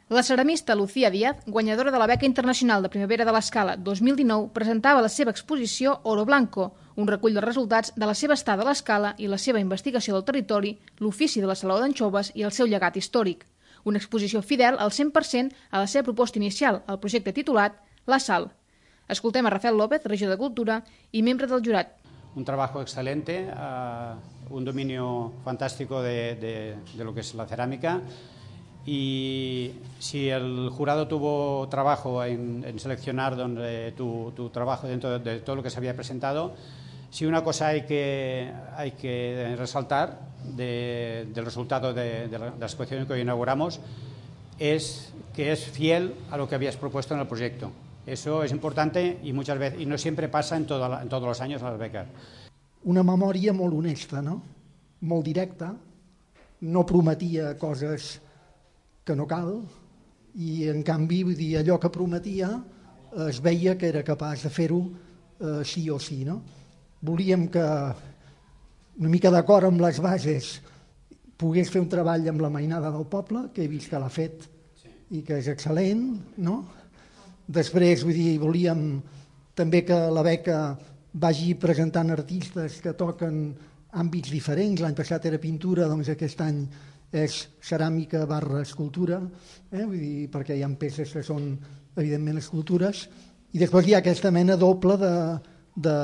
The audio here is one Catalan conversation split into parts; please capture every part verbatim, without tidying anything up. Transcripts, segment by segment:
La ceramista Lucía Díaz, guanyadora de la Beca Internacional de Primavera de l'Escala dos mil dinou, presentava la seva exposició Oro Blanco, un recull de resultats de la seva estada a l'Escala i la seva investigació del territori, l'ofici de la Saló d'Anxoves i el seu llegat històric. Una exposició fidel al cent per cent a la seva proposta inicial, el projecte titulat La Sal. Escoltem a Rafael López, regidor de Cultura i membre del jurat. Un trabajo excelente, uh, un dominio fantástico de, de, de lo que es la cerámica. Y si el jurado tuvo trabajo en, en seleccionar donde, tu, tu trabajo dentro de, de todo lo que se había presentado, si una cosa hay que, hay que resaltar de, del resultado de, de, la, de la exposición que hoy inauguramos es que es fiel a lo que habías propuesto en el proyecto. Eso es importante y muchas veces y no siempre pasa en, toda, en todos los años a las becas. Una memòria molt honesta, no? Molt directa, no prometia coses que no cal, i en canvi vull dir, allò que prometia eh, es veia que era capaç de fer-ho eh, sí o sí. No? Volíem que, una mica d'acord amb les bases, pogués fer un treball amb la mainada del poble, que he vist que l'ha fet i que és excel·lent. No? Després, vull dir, volíem també que la beca vagi presentant artistes que toquen àmbits diferents. L'any passat era pintura, doncs aquest any és ceràmica barra escultura, eh? Vull dir, perquè hi ha peces que són evidentment escultures, i després hi ha aquesta mena doble de, de,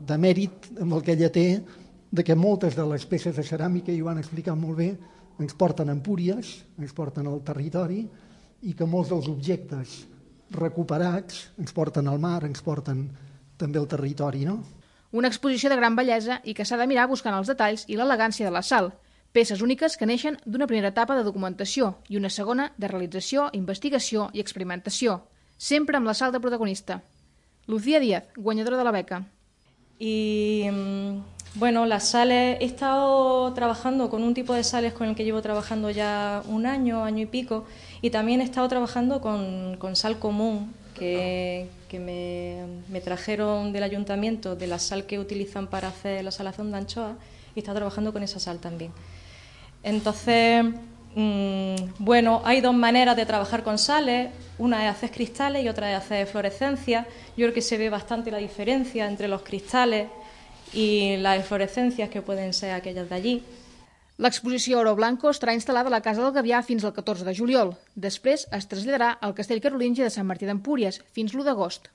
de mèrit amb el que ella té, de que moltes de les peces de ceràmica, i ho han explicat molt bé, ens porten a Empúries, ens porten al territori, i que molts dels objectes recuperats ens porten al mar, ens porten també al territori. No? Una exposició de gran bellesa i que s'ha de mirar buscant els detalls i l'elegància de la sal, peces úniques que neixen d'una primera etapa de documentació i una segona de realització, investigació i experimentació, sempre amb la sal de protagonista. Lucía Díaz, guanyadora de la beca. Y bueno, las sales, he estado trabajando con un tipo de sales con el que llevo trabajando ya un año, año y pico, y también he estado trabajando con, con sal común, que, que me, me trajeron del ayuntamiento, de la sal que utilizan para hacer la salazón de anchoa, y he estado trabajando con esa sal también. Entonces, mmm, bueno, hay dos maneras de trabajar con sales, una es hacer cristales y otra es hacer fluorescencia. Yo creo que se ve bastante la diferencia entre los cristales y las fluorescencias que pueden ser aquellas de allí. L'exposició Oro Blanco estarà instal·lada a la Casa del Gavià fins al catorze de juliol. Després es traslladarà al Castell Carolingi de Sant Martí d'Empúries fins l'u d'agost.